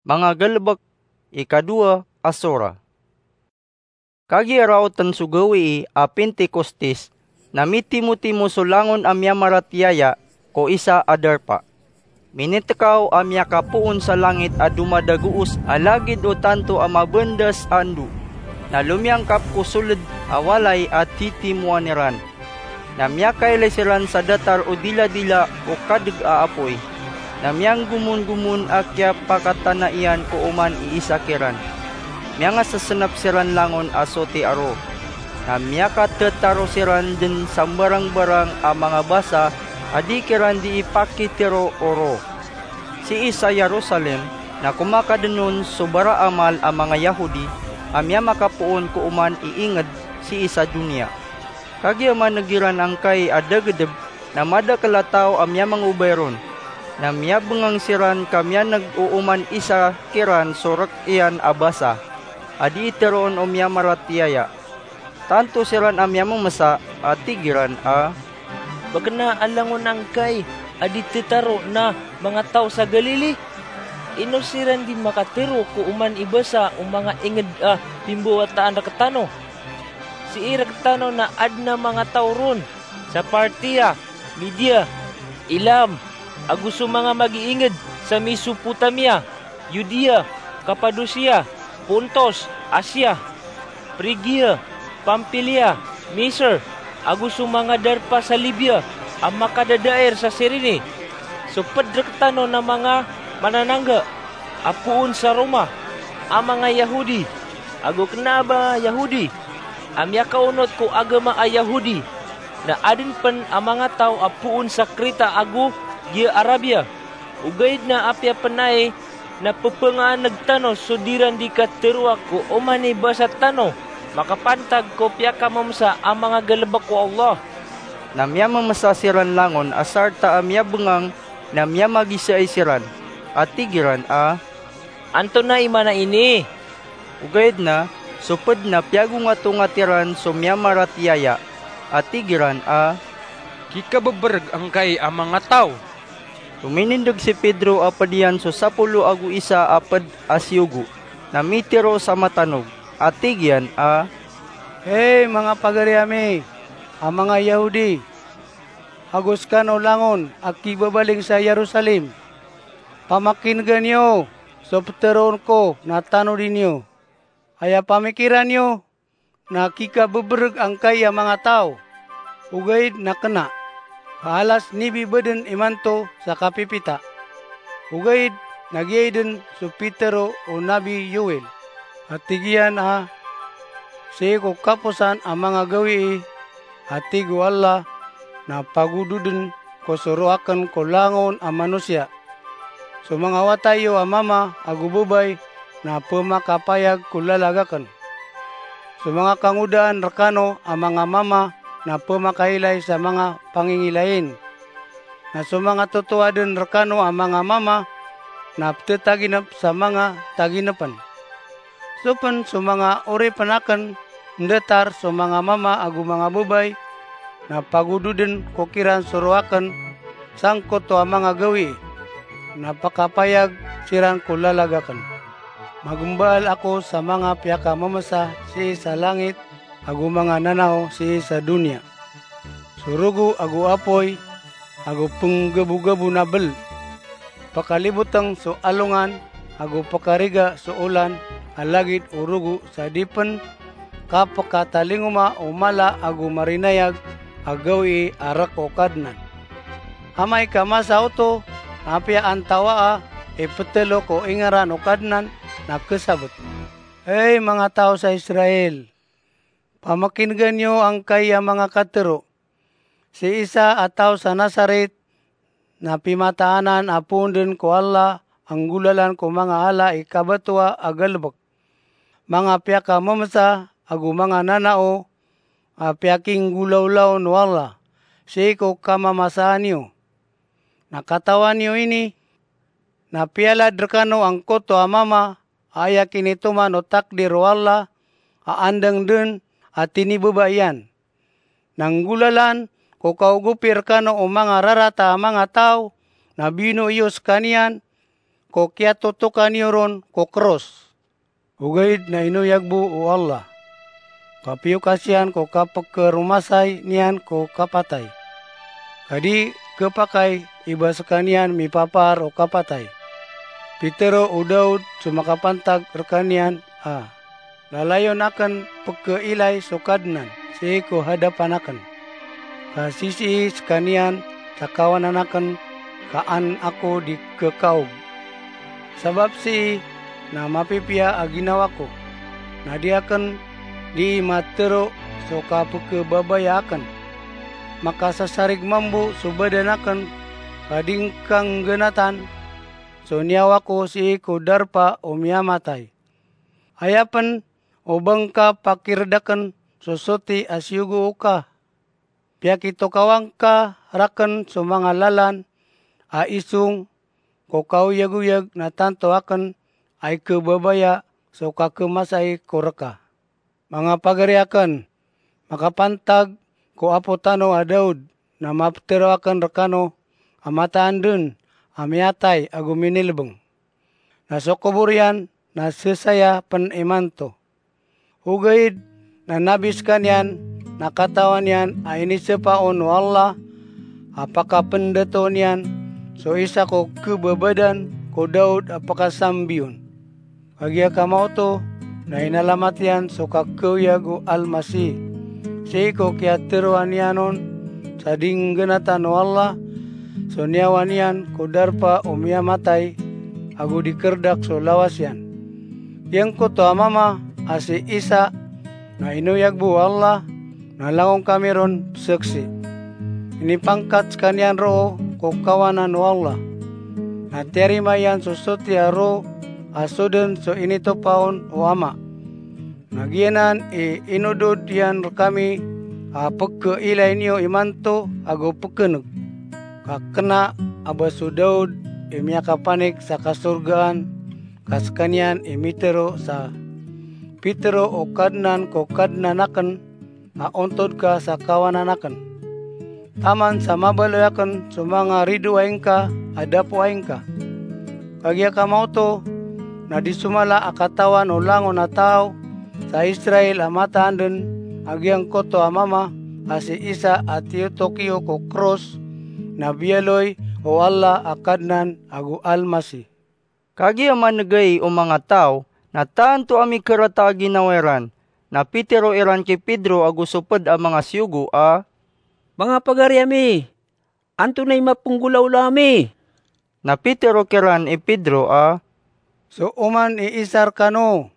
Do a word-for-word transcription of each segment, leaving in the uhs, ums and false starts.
Manga Galebek, ikadowa a sora. Kagiya raoten so gawii a Pentecostes, na mitimotimo so langon a miyamaratiyaya ko isa a darpa. Minitekaw a miyakapoon sa langit a domadagoos a lagid o tanto a mabendas a endo, na lomiyangkap ko soled a walay a titimoan iran. Na miyakailay siran sa datar o diladila o kadeg a apoy, na miyanggomonggomon a kiyapakatana iyan ko oman i isa kiran. Miyangasesenap siran langon a soti a ro, na miyakatetaro siran den sa mbarangbarang a manga basa a di kiran di ipakitero o ro. Sii sa Jerusalem na komakaden on so baraamal a manga Yahudi a miyamakapoon ko oman i inged sii sa doniya. Kagiya maneg iran angkai a dagedeb, na madakel a taw a miyamangobay ron, na miyabengang siran ka miyaneg o oman isa kiran so rek iyan a basa a dii teroon o miyamaratiyaya. Tanto siran a miyamemesa a tig iran a, "Ba kena a langon angkai a di tetaro na manga taw sa Galili? Ino siran di makatero ko oman i basa o manga inged a pimbawataan rektano? Sii rektano na aden a manga taw ron sa Partia, Media, Elam, ago so manga magiinged sa Mesopotamia, Yudea, Kapadosia, Pontos, Asia, Phrygia, Pamphylia, Misir, ago so manga darpa sa Libya a makadadair sa Cirene. So ped rektano na manga mananangga a poon sa Roma a manga Yahudi, ago kena a ba Yahudi a miyakaonot ko agama a Yahudi, na aden pen a manga taw a poon sa Kreta ago giya Arabia. Ogaid na apiya pen ai na pepengaaneg tano so diran di kateroa ko oman i basa tano makapantag ko piyakamemesa a manga galebek o Allah." Na miyamemesa siran langon a sarta a miyabengang na miyamagisaay siran a tig iran a, "Antonaa i maana ini?" Ogaid na so ped na piyagongatongat iran so miyamaratiyaya a tig iran a, "Kikabebereg angkai a manga taw." Tominindeg si Pedro a ped iyan so sapolo ago isa a ped a siyogo, na mitero sa matanog a tig iyan a, "Hay manga pagari ami a manga Yahudi, ago sekano langon a kibabaling sa Jerusalem, pamakinegan iyo so peteroon ko na tanodi niyo. Aya pamikiran iyo na kikabebereg angkai a manga taw, ogaid na kena, ka alas nibi baden imanto sa kapipita. Ogaid na giyaiden so pitero o Nabi Joel a tig iyan a, sii ko kaposan a manga gawii a tig o Allah na pagododen ko so roaken ko langon a manosiya. So manga wata iyo a mama ago babay na pemakapayag ko lalag aken. So manga kangodaan rekano a manga mama na pemakailay sa manga pangingilayin. Na so manga totoaden rekano a manga mama na petetaginep sa manga taginepen. So pen so manga oripen aken ndatar so manga mama ago manga babay na pagododen ko kiran so roaken sangkoto a manga gawii, na pakapayag siran ko lalag aken. Magembaal ako sa manga piyakamemesa sii sa langit ago manga nanao sii sa doniya. So rogo ago apoy ago penggabogabon a bel. Pakaliboteng so alongan ago pakariga so olan a lagid o rogo sa di pen kapekatalingoma o mala ago marinayag a gawii a rek o Kadnan. Amay ka masa oto na apiya antawaa i petelo ko ingeran o Kadnan na kesabet. Hay manga taw sa Israel, pamakinegan iyo angkai a manga katero. Si Isa a taw sa Nasarit na pimataanan a poon den ko Allah a nggolalan ko manga ala i kabatoa a galebek, manga piyakamemesa ago manga nanao a piyakinggolawlaw o Allah sii ko kamamasaan iyo. Na katawan iyo ini, na piyalad rekano angkoto a mama a aya kinitoman o takdir o Allah a andang den a tinibaba iyan. Na nggolalan ko kaogopi rekano o manga rarata a manga taw na bino iyo sekaniyan ko kiyatotoka niyo ron ko kros. Ogaid na inoyag bo o Allah, ka piyokasiyan ko kapkharomasay niyan ko kapatay, ka di khapakay i ba skaniyan mipapaar o kapatay. Pitharo o Daud so makapantag rkaniyan a, lalayon akn pkhailay so Kadnan sii ko hadapan akn, ka sisii skaniyan sa kawanan akn ka an ako di khakaog. Sabap sii na mapipiya a ginawa ko, na di akn di matharo so kapkhababaya akn. Makasasarig mambo so badan akn, ka di ngka nggnatan so niyawa ko sii ko darpa o miyamatay. Aya pn o ba ngka pakird akn so soti a siyogo oka. Piyakitokawa ngka rakn so manga lalan a isong ko kaoyagoyag na tanto akn a ikhababaya so kakhamasai ko rka. Manga pagari akn, makapantag ko apo tano a Daud na maptharo akn rkano a mataan dn a miyatay ago minilbng, na so kobor iyan na sesaya pn imanto. Ogaid na nabi skaniyan na katawan iyan a inisapa on o Allah a pakapndatoon iyan so isa ko khababadan ko Daud a pakasambi on. Kagiya kamaoto na inalamat iyan so kakhaoyag o Almasih sii ko kiyatharoa niyan on sa di nggnatan o Allah so niyawa niyan ko darpa o miyamatay ago di kherdak so lawas iyan. Giyangkoto a mama a si Isa na inoyag bo o Allah, na langon kami ron pzaksi. Inipangkat skaniyan roo ko kawanan o Allah, na tiyarima iyan so soti a roo a so dn so initopa on o Ama. Na giyanan i inodod iyan rkami a pkhailay niyo imanto ago pkhan'g. Ka kna a ba so Daud i miyakapanik sa kasorgaan ka skaniyan i mitharo sa, "Pitharo o Kadnan ko Kadnan akn a ontod ka sa kawanan akn, taman sa mabaloy akn so manga ridoay ngka a dapoay ngka." Kagiya kamaoto na di so mala a katawan o langon a taw sa Israel a mataan dn a giyangkoto a mama a si Isa a tiyotok iyo ko kros na biyaloy o Allah a Kadnan ago Almasih. Kagiya man'gay o manga taw na tanto a mikarata a ginawa iran, na pitharo iran ki Pedro ago so pd a manga siyogo a, "Manga pagari ami, antonaa i mapnggolawla ami?" Na pitharo kiran i Pedro a, "So oman i Isa rkano,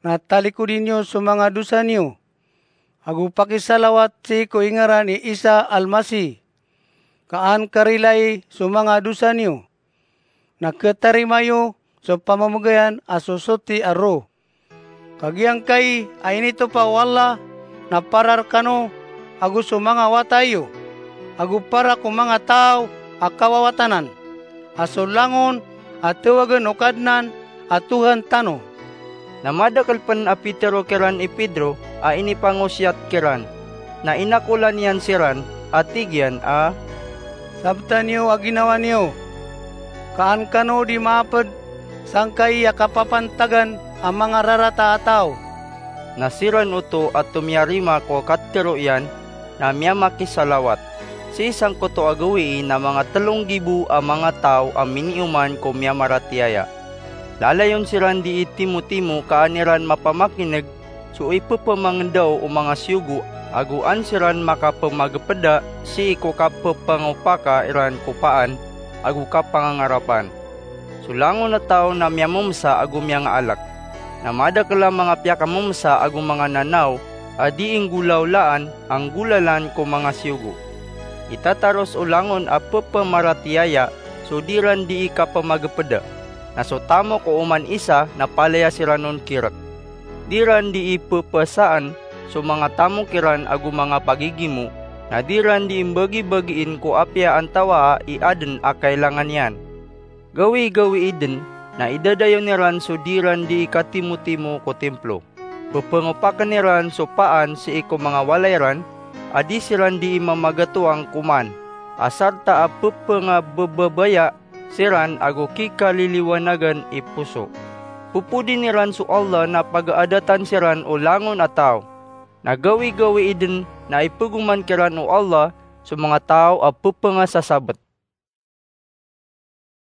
na talikodi niyo so manga dosa niyo, ago pakisalawat sii ko ingaran i Isa Almasih, ka an karilai so manga dosa niyo, na khatarima iyo so pamamgayan a so soti a roo. Ka giyangkai a initopa o Allah na para rkano ago so manga wata iyo, ago para ko manga taw a kawawatanan, a so langon a tawagn o Kadnan a Tohan tano." Na madakl pn a pitharo kiran i Pedro a inipangosiyat kiran, na inakolan iyan siran a tig iyan a, "Sabta niyo a ginawa niyo, ka an kano di maapd sangkai a kapapantagan a manga rarata a taw." Na siran oto a tomiyarima ko katharo iyan na miyamakisalawat. Sii sangkoto a gawii na manga tlo nggibo a manga taw a minioman ko miyamaratiyaya. Lalayon siran dii timotimo ka an iran mapamakin'g so ipphmangndao o manga siyogo, ago an siran makapmagpda sii ko kapphangopaka iran ko paan ago kapangangarapan. So langon a taw na miyamomsa ago miyangaalk. Na madakl a manga piyakamomsa ago manga nanaw a dii nggolawlaan a nggolalan ko manga siyogo. Itataros o langon a pphamaratiyaya so di ran dii kapmagpda. Na so tamok o oman isa na palaya siran on kirk. Di ran dii pphasaan so manga tamok iran ago manga pagigimo, na di ran dii mbagibagiin ko apiya antawaa i adn a kailangan iyan. Gawii-gawii dn na idadayon iran so di ran dii katimotimo ko timplo. Pphangopakn iran so paan sii ko manga walay ran a di siran dii mamagatoang koman, a sarta a pphangabababaya siran ago kikaliliwanagan i poso. Popodin iran so Allah na pagaadatan siran o langon a taw. Na gawigawii den na ipegoman kiran o Allah so manga taw a pepengasasabet.